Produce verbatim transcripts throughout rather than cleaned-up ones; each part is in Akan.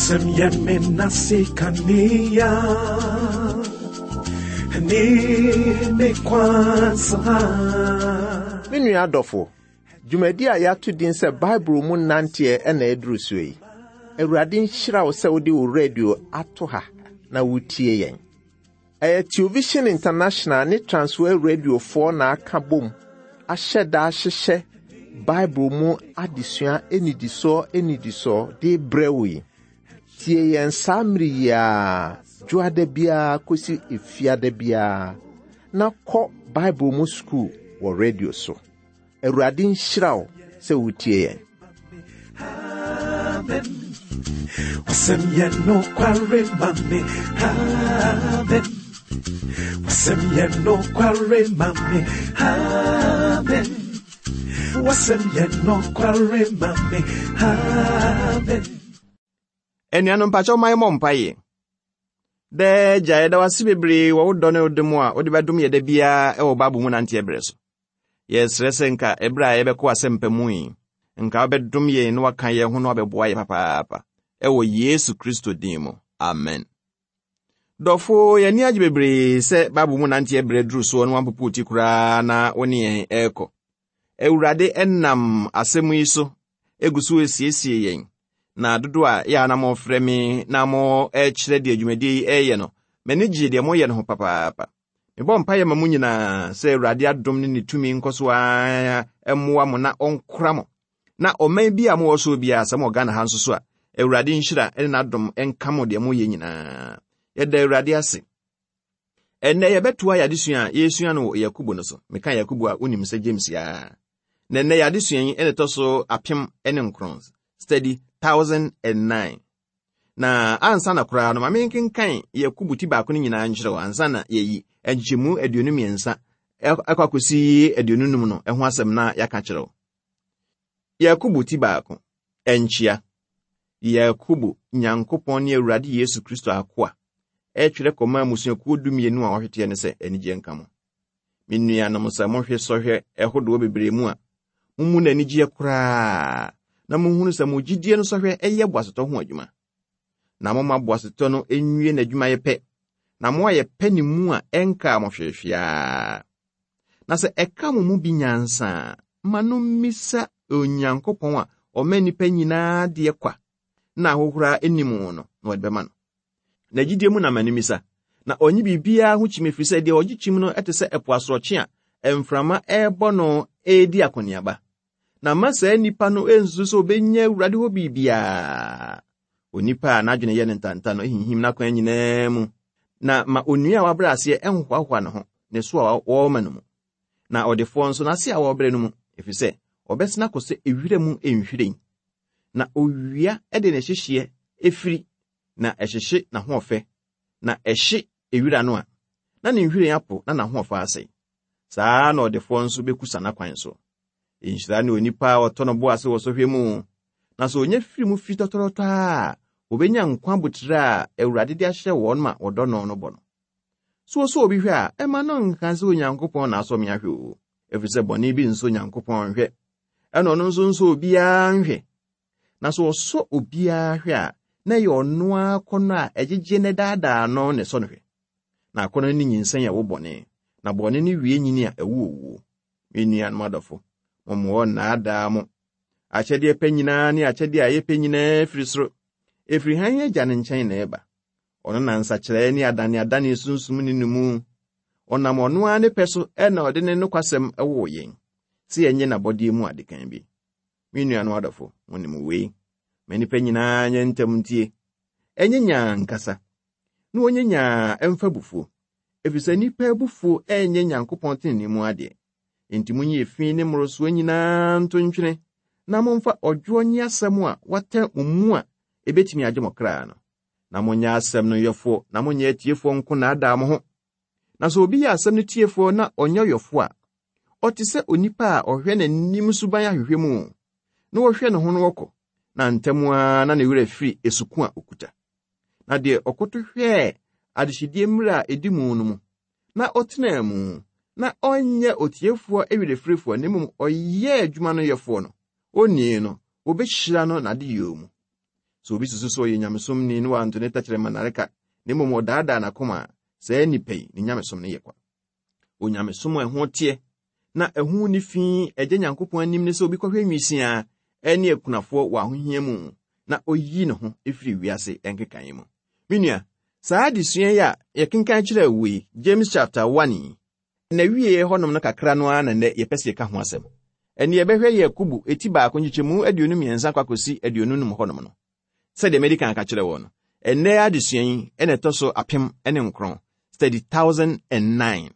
Wasɛm yɛ me nase kanea ne me kwan so ha. Me nua adɔfo, dwumadi a yɛato din sɛ Bible mu nanteɛ ɛna ɛduru so yi. Awurade nhyira wo sɛ wode wo radio ato ha na wotie yɛn. Ɛyɛ Television International ne Transworld Radiofoɔ na aka bom ahyɛ da ahyehyɛ Bible mu adesua anidisoɔ anidisoɔ de brɛ wo yi. Tie yɛn saa mmere yi ara, dwoada biara kɔsi efiada biara, na kɔ Bible mu sukuu wɔ radio so. Awurade nhyira wo sɛ wotie yɛn. Amen. Wasɛm yɛ nokware ma me. Amen. Wasɛm yɛ nokware ma me. Amen. Wasɛm yɛ nokware ma me. Amen. Anuanom mpakyɛw ma yɛmmɔ mpaeɛ. Daa Agya, yɛda wo ase bebree wɔ wo dɔ ne wo dom a wode bɛdom yɛ da biara wɔ Bible mu nanteɛ berɛ so. Yɛsrɛ sɛ nka ɛberɛ a yɛbɛkɔ asɛmpa mu yi, nka wobɛdom yɛn na waka yɛn ho na wabɛboa yɛ papaapa. Ɛwɔ Yesu Kristo din mu. Amen. Dɔfo, yɛn ani agye bebree sɛ Bible mu nanteɛ berɛ duru soɔ na wampopo wo ti koraa na wo ne yɛn ɛrekɔ. Awurade ɛnam asɛm yi so egu so esiesie yɛn. Na dodo a yɛ a na mofrɛ me na mo ɛkyerɛ deɛ dwumadie yi ɛyɛ no, m'ani gye deɛ moyɛ no ho papaapa. Mebɔ mpaeɛ ma mo nyinaa sɛ Awurade adom ne ne tumi nkɔ so ara mmoa mo na ɔnkora mo. Na ɔman bi a mowɔ so biara, sɛ mowɔ Ghana ha nso so a, Awurade nhyira ne n'adom nka mo deɛ moyɛ nyinaa. Yɛda Awurade ase. Ɛnnɛ yɛbɛtoa yɛn adesua a yɛresua no wɔ Yakobo no so. Meka Yakobo a wonim sɛ James yaa. Na ɛnnɛ yɛn adesua yi ɛna ɛtɔ so apem ne nkron. Study thousand and nine. Na ansa na koraa no, ma menkenkan Yakobo ti baako no nyinaa nkyerɛ wo ansa na yɛyi nkyekyɛmu aduonu mmiɛnsa ɛkɔ akɔsi aduonu num no ɛho asɛm na yɛaka kyerɛ wo. Yakobo ti baako, ɛnkyia. Yakobo, Nyankopɔn ne Awurade Yesu Kristo akoa, ɛtwerɛ kɔma mmusuakuo dumienu a wɔahweteɛ no sɛ anigye nka mo. Me nuanom, sɛ mohwe sɔhwɛ ɛhodoɔ bebree mu a, mommu no anigyeɛ koraa, na monhunu sɛ mo gyidie no sɔhwɛ ɛyɛ boasetɔ ho adwuma. Na momma boasetɔ no nwie n'adwumayɛ pɛ, na moayɛ pɛ ne mu a ɛnkaa mo hwehwɛa. Na sɛ ɛka mo mu bi nyansa a, ma no mmisa Onyankopɔn a ɔma nnipa nyinaa deɛ kwa, na ahohora anim no, na ɔde bɛma no. Na gyidie mu na ma no mmisa, na ɔnye biribiara ho kyim, ɛfiri sɛ deɛ ɔgye kyim no te sɛ ɛpo asorɔkye a mframa ɛrebɔ no ɛredi akɔneaba. Na mma saa nnipa no nsusu sɛ obenya Awurade hɔ biribiara. Onipa a n'adwene yɛ ne ntanta no hinhim n'akwan nyinaa mu. Na ma onua a wabrɛ aseɛ ɛnhoahoa ne ho, ne so a wɔrema no mu. Na ɔdefoɔ nso n'ase a wɔrebrɛ no mu, ɛfiri sɛ ɔbɛsena akɔ sɛ ewira mu nhwiren. Na owia de ne hyehyeɛ efiri, na ɛhyehye n'ahoɔfɛ, na ɛhye ewira no a, na ne nhwiren apo na n'ahoɔfɛ asɛe. Saa na ɔdefoɔ nso bɛkusa n'akwan so. Nhyira ne onipa a ɔtɔ no bo ase wɔ sɔhwɛ mu. Na sɛ onya firi mu fi tɔtɔrɔtɔ a, obenya nkwa abotire a Awurade de ahyɛ wɔn ma wɔdɔ no no bɔ no. So ɔsɔ obi hwɛ a, ɛma no nka sɛ Onyankopɔn na asɔ me ahwɛ o, ɛfiri sɛ bɔne bi nsɔ Onyankopɔn nhwɛ. Ɛna ɔno nso nsɔ obiara nhwɛ. Na sɛ ɔsɔ obiara hwɛ a, na ɛyɛ ɔno ara akɔnnɔ a ɛgyegye ne daadaa no na ɛsɔ no hwɛ. Na akɔnnɔ no nyinsɛn a ɛwo bɔne, na bɔne no wie nyini a ɛwo owuo. Me nuanom adɔfo, momma wɔnnaadaa mo. Akyɛdeɛ pɛ nyinaa ne akyɛdeɛ a ɛyɛ pɛ nyinaa firi soro. Ɛfiri hann Agya no nkyɛn na ɛba. Ɔno na nsakyerɛeɛ ne adaneadane sunsum ne no mu. Ɔnam ɔno ara ne pɛ so ɛna ɔde ne nokwasɛm woo yɛn, sɛ yɛnyɛ n'abɔdeɛ mu adekan bi. Me nuanom adɔfo, monim wei. Ma nnipa nyinaa nyɛ ntɛm ntie. Ɛnyɛ nyaa nkasa, na wɔnyɛ nyaa ɛmfa abufuo. Ɛfiri sɛ nnipa abufuo ɛnyɛ Nyankopɔn tenenee mu adeɛ. Enti monyi efi ne mmorosoɔ nyinaa nto ntwene, na momfa ɔdwoɔ nye asɛm a wɔatɛ mo mu a ebetumi agye mo kra no. Na monyɛ asɛm no yɔfoɔ, na monyɛ atiefoɔ nko naadaa mo ho. Na sɛ obi yɛ asɛm no tiefoɔ na ɔnyɛ ɔyɔfoɔ a, ɔte sɛ onipa a ɔhwɛ n'anim suban ahwehwɛ mu, na ɔhwɛ ne ho no ɔkɔ, na ntɛm ara na ne werɛ firi esuko a okuta. Na deɛ ɔkoto hwɛɛ adehyedie mmerɛ a edi mu no mu, na ɔtenaa mu, na ɔnyɛ otiefoɔ awerɛfirifoɔ, na mmom ɔyɛɛ adwuma no yɛfoɔ no, onii no, wɔbɛhyira no n'adeyɛ mu. Sɛ obi susu sɛ ɔyɛ nyamesomni na wanto ne tɛkyerɛma nnareka, na mmom ɔdaadaa n'akoma a, saa nnipa yi, ne nyamesom no yɛ kwa. Onyamesom a ɛho teɛ na ɛho nni fi Agya Nyankopɔn anim ne sɛ obi kɔhwɛ nwisiaa ne akunafoɔ wɔ ahohia mu na oyi ne ho firi wiase nkekaeɛ mu. Me nua, saa adesua yi a yɛkenkan kyerɛɛ wo yi, James chapter one yi, na wie hɔnom no kakra no ara na nnɛ yɛpɛ sɛ yɛka ho asɛm. Ɛne yɛbɛhwɛ Yakobo eti baako nkyekyɛmu aduonu mmiɛnsa kɔ akɔsi aduonu num hɔnom no. Sɛdeɛ madi kan aka kyerɛ wɔ no, ɛnnɛ adesua yi ɛna ɛtɔ so apem ne nkron, study thousand and nine.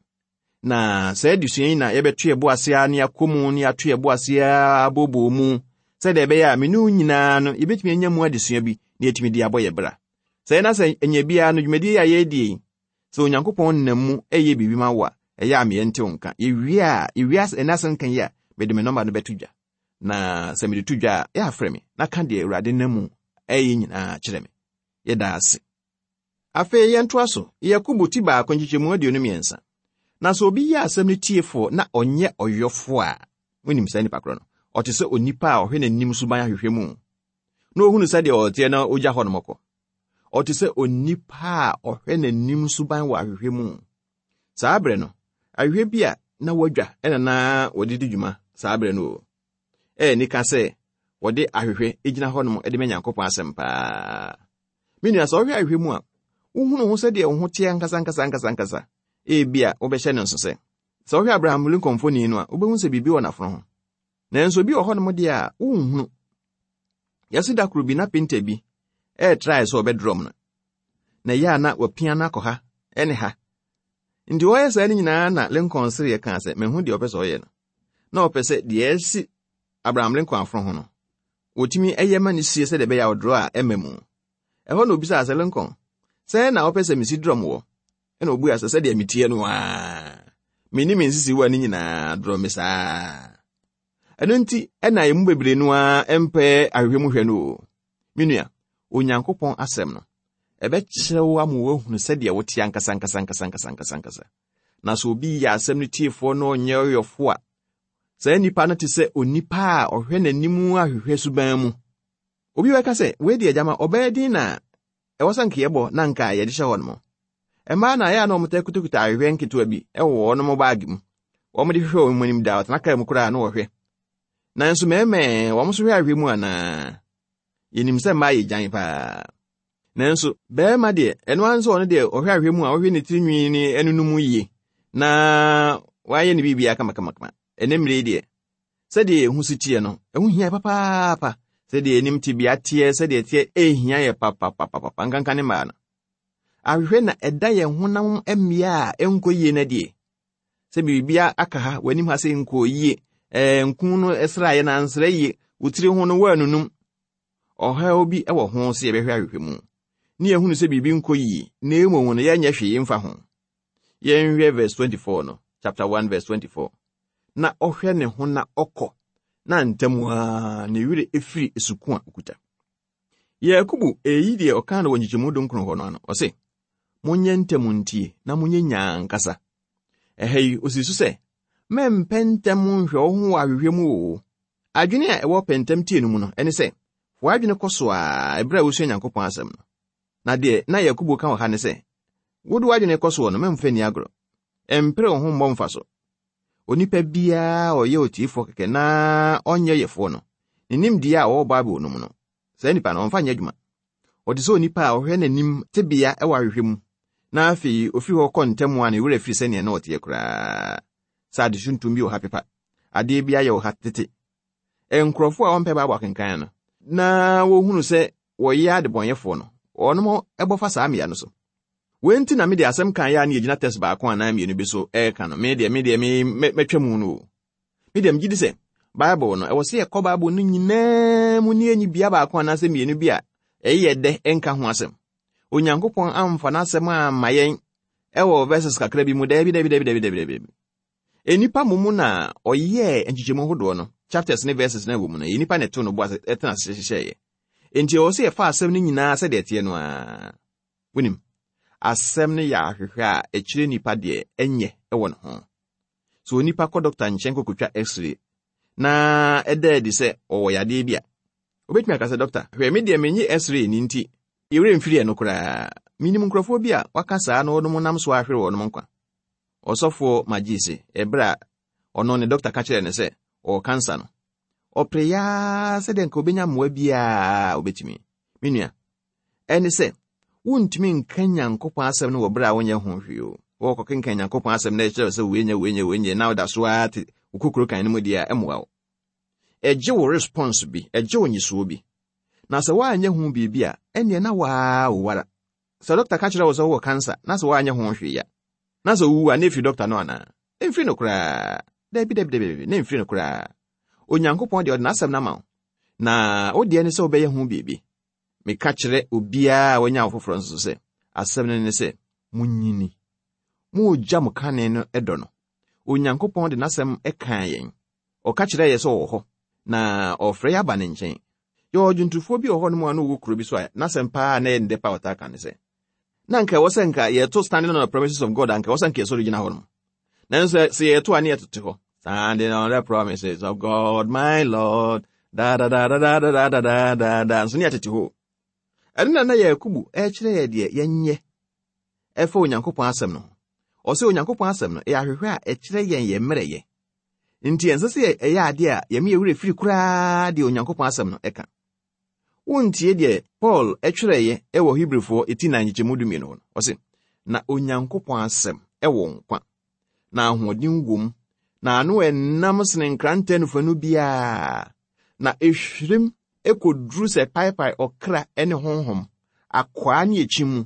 Na saa adesua yi na yɛbɛto yɛn bo ase ara ne yɛakɔ mu ne yɛato yɛn bo ase ara abooboo mu, sɛdeɛ ɛbɛyɛ a me ne wo nyinaa no yɛbɛtumi anya mu adesua bi na yɛtumi de abɔ yɛ bra. Sɛ yɛn sɛ ɛnyɛ biara no dwumadie a yɛredi yi, sɛ Onyankopɔn nam mu ɛyɛ biribi ma wo a, ɛyɛ a meyɛ ntew nka. Yɛwie a, yɛwie ɛnɛ asɛm ka yi a, mede me nɔmba no bɛto dwa. Na sɛ mede to dwa a, yɛ afrɛ me na ka deɛ Awurade nam mu ɛyɛ nyinaa kyerɛ me. Yɛda ase. Afei yɛntoa so, Yakobo ti baako nkyekyɛmu aduonu mmiɛnsa. Na sɛ obi yɛ asɛm no tiefoɔ na ɔnyɛ ɔyɔfoɔ a, wonim saa nipa korɔ no, ɔte sɛ onipa a ɔhwɛ n'anim suban ahwehwɛ mu, na ohunu sɛdeɛ ɔteɛ na ogya hɔ nom kɔ. Ɔte sɛ onipa a ɔhwɛ n'anim suban wɔ ahwehwɛ mu. Saa berɛ no, ahwehwɛ bi a na wadwa ɛna na wɔde di dwuma saa berɛ no o. Ɛyɛ nika sɛ wɔde ahwehwɛ gyina hɔnom de ma Nyankopɔn asɛm paa. Me nua, sɛ ɔhwɛ ahwehwɛ mu a, wohunu ho sɛdeɛ wo ho teɛ ankasa ankasa ankasa ankasa. Ebia wobɛhyɛ no nso sɛ, sɛ wohwɛ Abraham Lincoln mfoni no a, wobɛhu sɛ biribi wɔ n'afono ho. Nanso obi wɔ hɔnom deɛ a, wonhunu. Yɛse da koro bi na painter bi ɛɛtrae sɛ ɔbɛdrɔm no. Na ɛyɛ a na wapia no akɔ ha ɛne ha. Nti ɔyɛ saa no nyinaa na Lincoln sereɛ kaa sɛ, mahu deɛ ɔpɛ sɛ ɔyɛ no. Na ɔpɛ sɛ deɛ ɛsi Abraham Lincoln afono ho no, wɔtumi ɛyɛ ma no sie sɛdeɛ ɛbɛyɛ a ɔdrɔ a ɛma mu. Ɛhɔ na obisaa sɛ, Lincoln, sɛ na wopɛ sɛ mesi drɔm wɔ? Ɛna obua sɛ, sɛdeɛ metie no aa, menni me nsisi wɔ ne nyinaa drɔ me saa. Ɛno nti ɛna emu bebree no ara mpɛ ahwehwɛ mu hwɛ no o. Me nua, Onyankopɔn asɛm no, ɛbɛkyerɛ wo ama woahunu sɛdeɛ wote ankasa ankasa ankasa ankasa ankasa ankasa. Na sɛ obi yɛ asɛm no tiefoɔ na ɔnyɛ ɔyɔfo a, saa nipa no te sɛ onipa a ɔhwɛ n'anim ahwehwɛ suban mu. Obi bɛka sɛ, wei deɛ gyama ɔbɛyɛ din na ɛwɔ sɛ nka yɛbɔ na nka yɛde hyɛ hɔ nom. Mmaa na ɛyɛ a na wɔn kutakuta ahwehwɛ nketewa bi ɛwɔ wɔn baage mu. Wɔn de hwehwɛ wɔn anim da, ɔtena kaa mu koraa na wɔhwɛ. Nanso mmarima wɔn nso hwɛ ahwehwɛ mu anaa? Yɛnim sɛ mmaa yɛ gyan paa. Nanso barima deɛ, ɛno ara nso ɔno deɛ ɔhwɛ ahwehwɛ mu a ɔhwɛ ne tirinwi ne ɛno mu yie na wayɛ ne biribiara kamakamakama. Ɛnɛ mmerɛ yi deɛ, sɛdeɛ ɛho si teɛ no, ɛho hia papaapa. Sɛdeɛ anim tebea teɛ, sɛdeɛ teɛ ɛhia yɛ papapapapa nkanka ne mmaa no. Ahwehwɛ na ɛda yɛn honam mmea a ɛnkɔ yie no deɛ. Sɛ biribiara aka ha, w'anim ha sɛ nkɔ yie, ɛɛ nku no ɛsraeɛ na ansra yie, wo tiri ho no woanunum. Ɔhaw bi ɛwɔ ho sɛ yɛbɛhwɛ ahwehwɛ mu. Ne yɛhunu sɛ biribi nkɔ yie, na mmom no yɛnyɛ hwee mfa ho. Yɛnhwɛ verse twenty-four no, chapter one verse twenty-four. Na ɔhwɛ ne ho na ɔkɔ, na ntam ara ne werɛ efiri esuko a okuta. Yakobo eyi deɛ ɔka no wɔ nkyekyɛmu dunkron hɔ no ano, ɔse, monyɛ ntɛm ntie na monyɛ nyaa nkasa. Ɛha yi, osi so sɛ, mɛmpɛ ntɛm nhwɛ wo ho wɔ ahwehwɛ mu o. Adwene a ɛwɔ pɛntɛm tie no mu no, ɛne sɛ, w'adwene kɔ so a ɛberɛ a wosua Nyankopɔn asɛm no. Na deɛ na Yakobo ka wɔ ha ne sɛ, wode w'adwene kɔ soɔ no, mɛmfa nni agorɔ. Ɛmpere wo ho mmɔ mfa so. Onipa biara a ɔyɛ otiefoɔ kɛkɛ na ɔnyɛ yɛfoɔ no, ne nimdeɛ a ɔwɔ Bible no mu no, saa nipa no ɔmfa nyɛ adwuma. Ɔte sɛ onipa a ɔhwɛ n'anim tebea ɛwɔ ahwehwɛ mu, na afei ofiri hɔ kɔ ntɛm a ne werɛ firi sɛnea na ɔteɛ koraa. Sɛ ade tuntum bi wɔ ha pepa, adeɛ bi ayɛ wɔ ha tete. Nkurɔfoɔ a wɔmpɛ Bible akenkan no, na wɔhunu sɛ wɔyɛ adebɔnyɛfoɔ no, wɔnom ɛbɔ fa saa mmea no so. Wei nti na mede asɛm kan yɛ a ne yɛgyina test baako anaa mmienu bi so ɛreka no. Me deɛ, me deɛ, me mɛtwa mu no o. Me deɛ, megye di sɛ Bible no, ɛwɔ sɛ yɛkɔ Bible no nyinaa mu ne yɛnyi bea baako anaasɛ mmienu bi a ɛyɛ dɛ ɛnka ho asɛm. Onyankopɔn amfa n'asɛm amma yɛn ɛwɔ verses kakra bi mu. Daabi, daabi, daabi, daabi, daabi, daabi. Enipa momu na ɔyɛɛ nkyekyɛmu ahodoɔ no, chapters ne verses na ɛwɔ mu no, ɛyɛ nipa na ɛto no bo ase ɛtena ase hyehyɛeɛ. Enti ɛwɔ sɛ yɛfa asɛm no nyinaa sɛdeɛ ɛteɛ no ara. Wonim, asɛm no yɛ ahwehwɛ a ɛkyerɛ nipa deɛ ɛnyɛ ɛwɔ ne ho. So onipa kɔ dɔkta nkyɛn kɔkɔtwa x-ray na ɛda adi sɛ ɔwɔ yadeɛ bi a, Obɛtumi aka sɛ, dɔkta, hwɛ, me deɛ menye x-ray ni nti, yɛwerɛ mfiri ɛno koraa. Minim nkurɔfoɔ bi a waka saa na wɔnom nam so ahwere wɔnom nkwa. Ɔsɔfoɔ magye se, ɛberɛ a ɔno ne dɔkta ka kyerɛɛ no sɛ ɔwɔ kansa no, ɔpere yaa sɛdeɛ nka obɛnya mmoa biara obɛtumi. Me nua, ɛne sɛ, wontumi nka Nyankopɔn asɛm no wɔ berɛ a wonyɛ ho hwee o. Wɔkɔkenkan Nyankopɔn asɛm na ɛkyerɛ sɛ wei nyɛ wei nyɛ wei nyɛ na woda so ara te wo kokoro kan no mu deɛ a, ɛmmoa wo. Ɛgye wo response bi, ɛgye wo nyisoɔ bi. Na sɛ woanyɛ ho biribi a, ɛnneɛ na waa wo wara. Sɛ dɔkta ka kyerɛ wo sɛ wowɔ kansa na sɛ woanyɛ ho hwee a, na sɛ wowu a, na ɛfiri dɔkta no anaa? Ɛmfiri no koraa. Dabi, dabi, dabi, na ɛmfiri no koraa. Onyankopɔn deɛ ɔde n'asɛm no ama wo. Na wo deɛ ne sɛ wobɛyɛ ho biribi. Meka kyerɛ obiara a wanya wo foforɔ nso sɛ, asɛm no ne sɛ, munyini. Moogya mo kane no ɛdɔ no. Onyankopɔn de n'asɛm ɛkaa yɛn. Ɔka kyerɛ yɛ sɛ ɔwɔ hɔ, na ɔfrɛ yɛ aba ne nkyɛn. Yɛwɔ dwontofoɔ bi wɔ hɔnom a na ɔwɔ kuro bi so a n'asɛm paa na ɛyɛ ne dɛ pa a ɔtaa ka ne sɛ, na nka ɛwɔ sɛ nka yɛto Standing on the Promises of God a nka ɛwɔ sɛ nka yɛsɔre gyina hɔ nom. Nanso sɛ yɛto a ne yɛtote hɔ. Standing on the promises of God, my Lord. Da da da da da da da da da da. Nso ne yɛtete hɔ. Ɛno na na Yakubu ɛkyerɛ yɛ deɛ yɛnyɛ ɛfa Onyankopɔn asɛm no ho. Ɔsɛ Onyankopɔn asɛm no ɛyɛ ahwehwɛ a ɛkyerɛ yɛn yɛn mmerɛyɛ. Nti ɛnsɛ sɛ ɛyɛ adeɛ a yɛme yɛ werɛ firi koraa deɛ Onyankopɔn asɛm no ɛka. Wontie deɛ Paul ɛtwerɛeɛ ɛwɔ Hebrifoɔ eti nan nkyekyɛmu dumienu hɔ no. Ɔse, na Onyankopɔn asɛm ɛwɔ nkwa, na ahoɔden wom, na ano ɛnam sene nkrantɛ nufanu biara, na ehwirim ɛkɔduru sɛ paepae ɔkra ne honhom, akwaa ne akyi mu,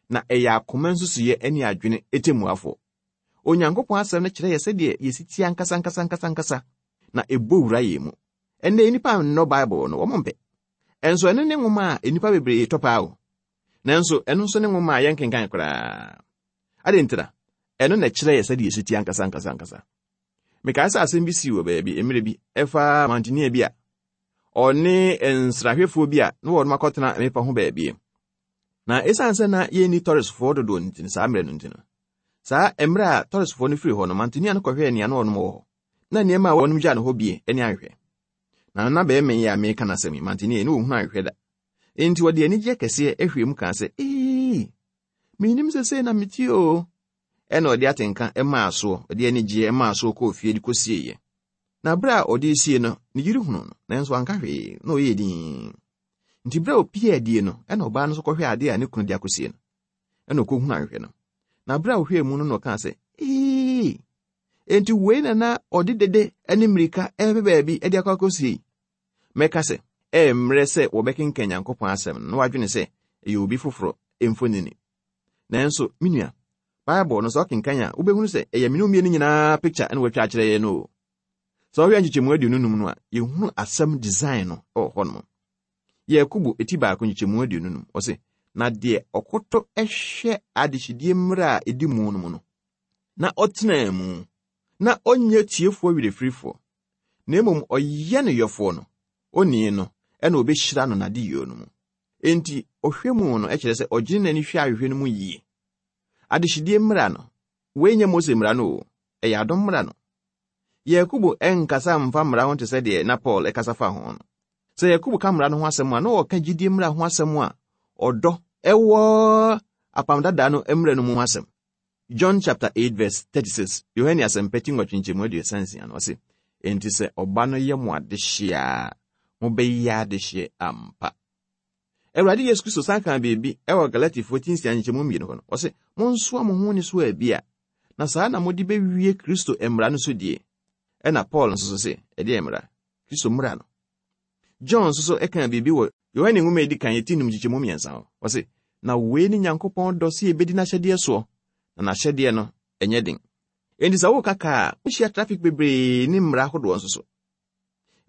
na ɛyɛ akoma nsusuiɛ ne adwene ɛtɛmmuafoɔ. Onyankopɔn asɛm no kyerɛ yɛ sɛdeɛ yɛsi tie ankasa ankasa ankasa ankasa, na ɛbɔ wura yɛn mu. Ɛnnɛ nnipa nnɔ Bible no, wɔn mpɛ. Ɛnso ɛno ne nwoma a nnipa bebree tɔ paa o. Nanso ɛno nso ne nwoma a yɛnkenkan koraa. Ade ntira, ɛno na ɛkyerɛ yɛ sɛdeɛ yɛsi tie ankasa ankasa ankasa. Mekae sɛ asɛm bi sii wɔ baabi mmerɛ bi ɛfa mantenia bi a ɔne nsrahwɛfoɔ bi a na wɔn akɔtena mmepɔ ho baabi. Na ɛsiane sɛ na yɛnni tɔresfoɔ dodoɔ no nti saa mmerɛ no nti no, saa mmerɛ a tɔresfoɔ no firi hɔ no, mantenia no kɔhwɛɛ nea na wɔnom wɔ hɔ. Na nneɛma a wɔnom gyaa no hɔ bie ne ahwehwɛ. Na na bɛrima yi a meka n'asɛm yi, mantenia yi, na wɔhunu ahwehwɛ da. Enti wɔde anigyeɛ kɛseɛ ahwie mu kaa sɛ, ee, menim sɛ sei na metie o. Ɛna ɔde atenka maa soɔ, ɔde anigyeɛ maa soɔ kɔɔ fie de kɔsieeɛ. Na berɛ a ɔde sie no, ne yere hunu no, nanso anka hwee, na ɔyɛɛ dinn. Nti berɛ a opie adie no, ɛna ɔbaa no nso kɔhwɛ adeɛ a ne kunu de akɔsie no. Ɛna ɔkɔhunu ahwehwɛ no. Na berɛ a ɔhwɛɛ mu no na ɔkaa sɛ, ee, enti wei na na ɔde dede ne mmirika ɛbɛ baabi de akɔ akɔsie yi. Mɛka sɛ, ɛyɛ mmerɛ sɛ wɔbɛkenkan Nyankopɔn asɛm no na wadwene sɛ ɛyɛ obi foforɔ mfonini. Nanso, me nua, Bible no sɛ ɔkenkan a, wobɛhunu sɛ ɛyɛ me ne wo mmienu nyinaa picture ɛna wɔatwa akyerɛ yɛn no o. Sɛ ɔhwɛ nkyekyɛmu aduonu num no a, yɛhunu asɛm design no ɛwɔ hɔnom. Yakubu eti baako nkyekyɛmu aduonu num, ɔse, na deɛ ɔkoto ɛhwɛ adehyedie mmerɛ a ɛdi mu no mu no, na ɔtenaa mu, na ɔnyɛ tiefoɔ werɛfirifoɔ, na mmom ɔyɛ no yɔfoɔ no, onii no, ɛna ɔbɛhyira no n'adeyɛ no mu. Enti, ɔhwɛ mu no ɛkyerɛ sɛ ɔgyene n'ani hwɛ ahwehwɛ no mu yie. Adehyedie mmara no, wei nyɛ Mose mmara no o, ɛyɛ adom mmara no. Yakubu ɛnkasa mfa mmara ho te sɛ deɛ na Paul ɛkasa fa ho no. Sɛ Yakubu ka mmara no ho asɛm a, na ɔka gyidie mmara ho asɛm a ɔdɔ ɛwɔ apam dada no mmara no mu ho asɛm. John chapter eight verse thirty-six, Yohane asɛmpa ti nwɔtwe nkyɛmu aduasa nsia no, ɔse, enti sɛ ɔba no yɛ mo adehyeɛ a, mobɛyɛ adehyeɛ ampa. Awurade Yesu Kristo san kaa biribi ɛwɔ Galatifoɔ ti nsia nkyɛmu mmienu hɔ no, ɔse, monsoa mo ho ne so abi a, na saa na mode bɛwie Kristo mmara no so die. Ɛna Paul nso so se, ɛdeɛ mmara? Kristo mmara no. John nso so ɛkaa biribi wɔ Yohane nwoma a edi kan ti num nkyekyɛmu mmiɛnsa hɔ. Ɔse, na wei ne Nyankopɔn dɔ sɛ yɛbɛdi n'ahyɛdeɛ soɔ, na n'ahyɛdeɛ no ɛnyɛ den. Enti sɛ woka kaa a, wohyia traffic bebree ne mmara ahodoɔ nso so.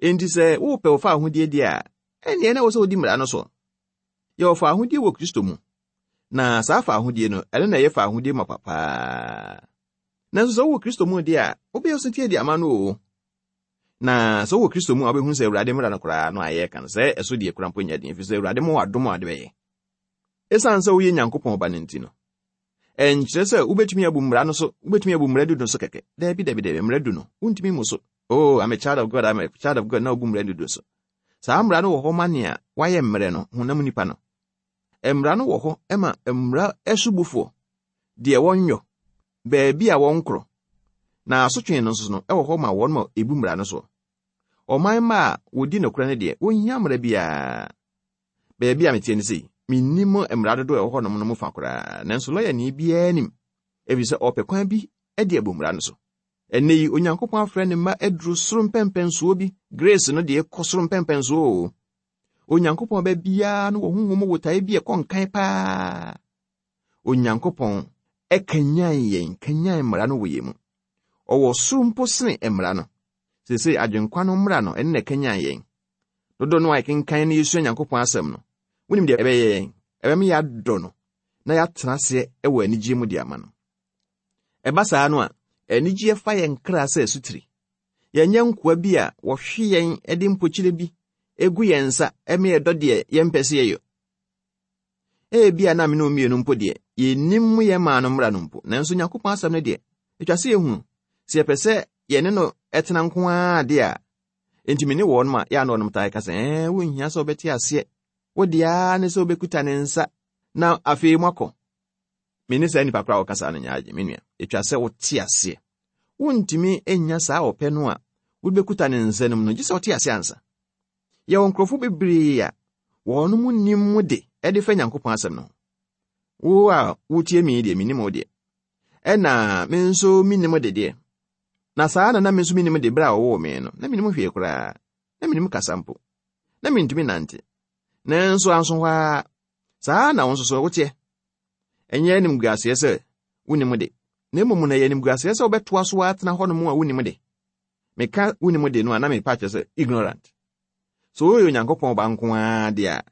Enti sɛ wopɛ wo fa ahodie deɛ a, ɛnneɛ na ɛwɔ sɛ wodi mmara no so. Yɛwɔ fa ahodie wɔ Kristo mu. Na saa fa ahodie no, ɛno na ɛyɛ fa ahodie ma papaa. Nanso sɛ wowɔ Kristo mu deɛ a, wobɛyɛ ɔsetie de ama no o. Na sɛ wowɔ Kristo mu a, wobɛhunu sɛ Awurade mmara no koraa no a yɛreka no, sɛ ɛso deɛ kora mpo nyɛ den, ɛfiri sɛ Awurade ma wɔ adom a ɔde bɛyɛ. Ɛsiane sɛ woyɛ Nyankopɔn ba no nti no, ɛnkyerɛ sɛ wobɛtumi abu mmara no so, wobɛtumi abu mmara du no so kɛkɛ. Daabi, daabi, daabi, mmara du no, wontumi mmu so. Oh, I'm a child of God, I'm a child of God, na wobu mmara du no so. Saa mmara no wɔ hɔ ma nea wayɛ mmerɛ no, honam nipa no. Mmara no wɔ hɔ ma mmara asubufoɔ, deɛ wɔnyɔ, baabi a wɔnkorɔ. Na asotwe no nso no ɛwɔ hɔ ma wɔn ma ebu mmara no so. Ɔman mma a wodi nokorɛ no deɛ, wonhia mmara biara. Baabi a metie no sei, minnim mmara dodoɔ a ɛwɔ hɔnom no mu fa koraa, nanso lɔyani biara nim, efisɛ ɔpɛ kwan bi de abu mmara no so. Ɛnnɛ yi, Onyankopɔn afrɛ ne mma aduru soro mpɛmpɛnsoɔ bi. Grace no deɛ kɔ soro mpɛmpɛnsoɔ o. Onyankopɔn ba biara no wɔ honhom botaeɛ bi a ɛkɔ nkan paa. Onyankopɔn ɛkanyan yɛn, kanyan mmara no wɔ yɛn mu. Ɔwɔ soro mpo sene mmara no. Seesei adwenkwa no mmara no ɛne na ɛkanyan yɛn. Dodo no a yɛkenkan na yɛsua Nyankopɔn asɛm no, wonim deɛ ɛbɛyɛ yɛn? Ɛbɛma yɛadɔ no na yɛatena aseɛ wɔ anigyeɛ mu de ama no. Ɛba saa no a, anigyeɛ fa yɛn kra sɛ asutiri. Yɛnyɛ nkoa bi a wɔhwe yɛn de mpokyerɛ bi egu yɛn nsa ɛma yɛdɔ deɛ yɛmpɛ sɛ yɛyɛ. Ebia na me ne wo mmienu mpo deɛ, yɛnnim yɛn maa no mmara no mpo, nanso Nyankopɔn asɛm no deɛ, etwa sɛ yɛhunu. Sɛ yɛpɛ sɛ yɛne no ɛtena nko ara deɛ a, enti me ne wɔn ma yɛ a na wɔnom taa ka sɛ, ɛɛ, wonhia sɛ wobɛte aseɛ. Wo deɛ ara ne sɛ wobɛkuta ne nsa na afei moakɔ. Me ne saa nnipa koraa a wɔkasa no nyɛ agye, me nua. Etwa sɛ wote aseɛ. Wontumi nnya saa ɔpɛ no a wobɛkuta ne nsa no mu no, gye sɛ wote aseɛ ansa. Yɛwɔ nkurɔfo bebree a wɔn nim mu de ɛde fa Nyankopɔn asɛm no ho. Wo a wotie me deɛ, menim wo deɛ. Ɛna me nso menim de deɛ. Na saa na na me nso menim de berɛ a wɔwoo me no, na menim hwee koraa. Na menim kasa mpo. Na mentumi nante. Nanso anso hɔ ara, saa na wo nso so woteɛ. Ɛnyɛ animguaseɛ sɛ wonim de. Na mmom na ɛyɛ animguaseɛ sɛ wobɛtoa so atena hɔnom a wonim de. Meka wonim de no a na mepa kyerɛ sɛ ignorant. So woyɛ Onyankopɔn ba nko ara deɛ a,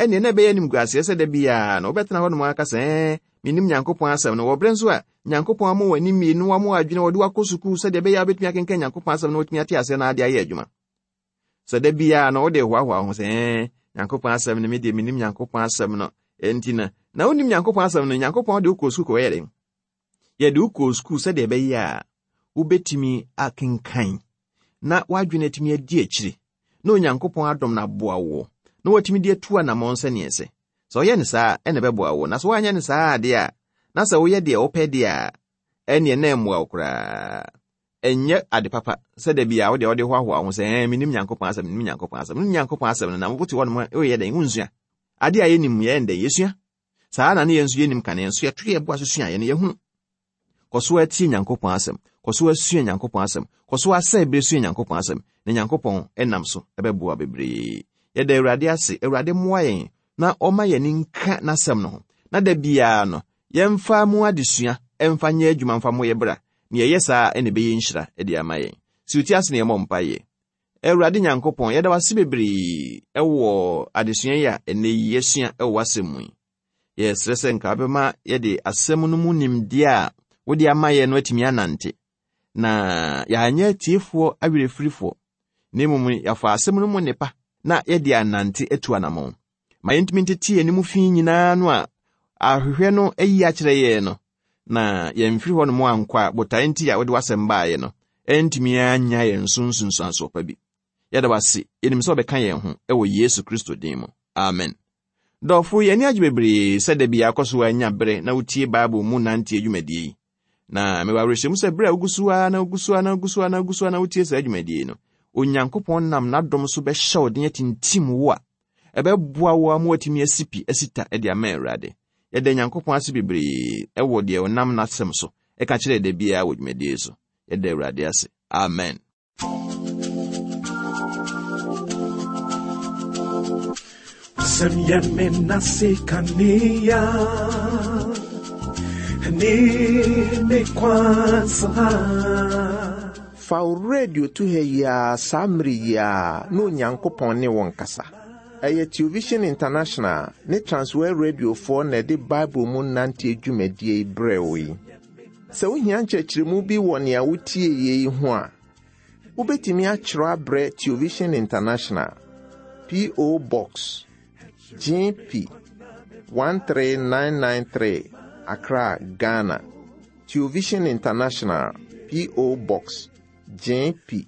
ɛnneɛ na ɛbɛyɛ animguaseɛ sɛ da biara na wobɛtena hɔnom aka sɛ, ɛɛ, menim Nyankopɔn asɛm no. Wɔ berɛ nso a Nyankopɔn ama w'ani mmienu, wama w'adwene, wɔde wakɔ sukuu sɛdeɛ ɛbɛyɛ a wobɛtumi akenkan Nyankopɔn asɛm no watumi ate aseɛ na ade ayɛ adwuma. Sɛ da biara na wode hoahoa ho sɛ, ɛɛ, Nyankopɔn asɛm no, me deɛ menim Nyankopɔn asɛm no. Enti na, na wonim Nyankopɔn asɛm no, Nyankopɔn de wokɔɔ sukuu kɔyɛ dɛn? Yɛde wokɔɔ sukuu sɛdeɛ ɛbɛyɛ a wobɛtumi akenkan na w'adwene atumi adi akyire na Onyankopɔn adom no aboa wo na watumi de atu anammɔn sɛneɛ ɛsɛ. Sɛ ɔyɛ no saa ɛna ɛbɛboa wo. Na sɛ woanyɛ no saa adeɛ a, na sɛ woyɛ deɛ wopɛ deɛ a, ɛneɛ na ɛmmoa wo koraa. Ɛnyɛ ade papa sɛ da bi a wode wode hoahoa ho sɛ, ɛɛ, menim Nyankopɔn asɛm, menim Nyankopɔn asɛm, menim Nyankopɔn asɛm no, na wote hɔnom a, woyɛ dɛn? Wonsua. Ade a yɛnim yɛn dɛn? Yɛsua. Saa na ne yɛn nso yɛnim kane, nso yɛto yɛ boa so sua yɛn no yɛhunu. Kɔ so atie Nyankopɔn asɛm, kɔ so asua Nyankopɔn asɛm, kɔ so asɛ bere sua Nyankopɔn asɛm, na Nyankopɔn ɛnam so ɛbɛboa bebree. Yɛda Awurade ase, Awurade mmoa yɛn na ɔma yɛn nka n'asɛm no ho. Na da biara no, yɛmfa mu adesua, ɛmfa nyɛ adwuma mfa mmɔ yɛ bra. Nea ɛyɛ saa ɛna ɛbɛyɛ nhyira de ama yɛn. Si wo ase na yɛmmɔ mpaeɛ. Awurade Nyankopɔn, yɛda wo ase bebree ɛwɔ adesua yi a ɛnnɛ yi yɛasua ɛwɔ w'asɛm mu yi. Yɛsrɛ sɛ nka wobɛma yɛde asɛm no mu nimdeɛ a wode ama yɛn no atumi anante. Na yɛanyɛ atiefoɔ awerɛfirifoɔ, na mmom yɛafa asɛm no mu nnepa na yɛde anante atu anammɔn. Ma yɛntumi ntete yɛn anim fi nyinaa no a ahwehwɛ no ayi akyerɛ yɛn no, na yɛmfiri hɔnom ankɔ a botae nti a wode w'asɛm baeɛ no, ɛntumi anya yɛn so nsunsuansoɔ pa bi. Yɛda wo ase, yɛnim sɛ wobɛka yɛn ho ɛwɔ Yesu Kristo din mu. Amen. Dɔfo, yɛn ani agye bebree sɛ da bi akɔ so anya bere na wotie Bible mu nante adwumadie yi. Na mewɔ awerɛhyɛmu sɛ bere a wogu so ara na wogu so ara na wogu so ara na wogu so ara na wotie saa adwumadie yi no, Onyankopɔn nam n'adom so bɛhyɛ wo den atintim wo a ɛbɛboa wo ama woatumi asi pi asi ta de ama Awurade. Yɛda Nyankopɔn ase bebree ɛwɔ deɛ ɔnam n'asɛm so ɛka kyerɛ da biara wɔ dwumadie so. Yɛda Awurade ase. Amen. Wasɛm yɛ me nase kanea ne me kwansa. Fa wo radio to ha yi ara saa mmere yi ara na Onyankopɔn ne wo nkasa. Ɛyɛ Television International ne Transworld Radiofoɔ na ɛde Bible mu nante dwumadie yi brɛ wo yi. Sɛ wohia nkyerɛkyerɛmu bi wɔ nea wotie yie yi ho a, wobɛtumi akyerɛw abrɛ Television International, P O. Box G P one three nine nine three, Accra, Ghana. Television International, P O. Box G P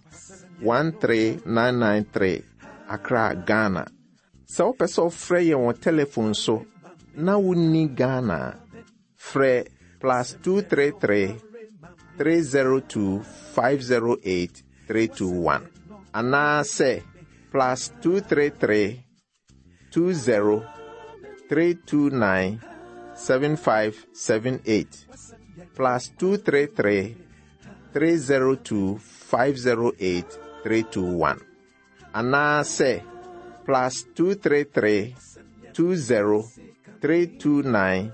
one three nine nine three, Accra, Ghana. Sɛ wopɛ sɛ wofrɛ yɛn wɔ telephone so na wonni Ghana a, frɛ plus two three three, three zero two, five zero eight, three two one anaasɛ plus two three three, two zero, three two nine, seven five seven eight plus two three three, three zero two, five zero eight, three two one anaasɛ plus two three three, two zero, three two nine,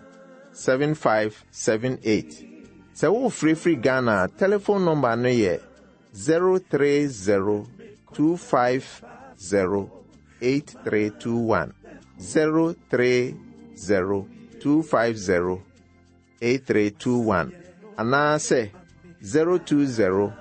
seven five seven eight. Sɛ wofirifiri Ghana a, telephone number no yɛ zero three zero, two five zero, eight three two one. zero three zero, two five zero, eight three two one anaasɛ zero two zero,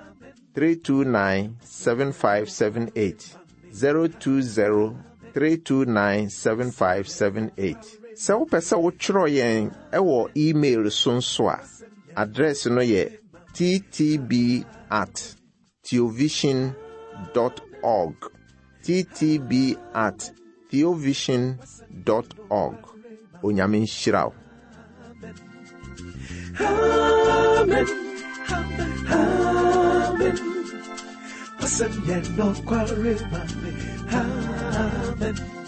three two nine, seven five seven eight. zero two zero, three two nine, seven five seven eight. Sɛ wopɛ sɛ wotwerɛ yɛn ɛwɔ email so nso a, address no yɛ t t b at theovision dot org. t t b at theovision dot org. Onyame nhyira wo. Amen. Amen. Wasɛm yɛ nokware ma me. Amen.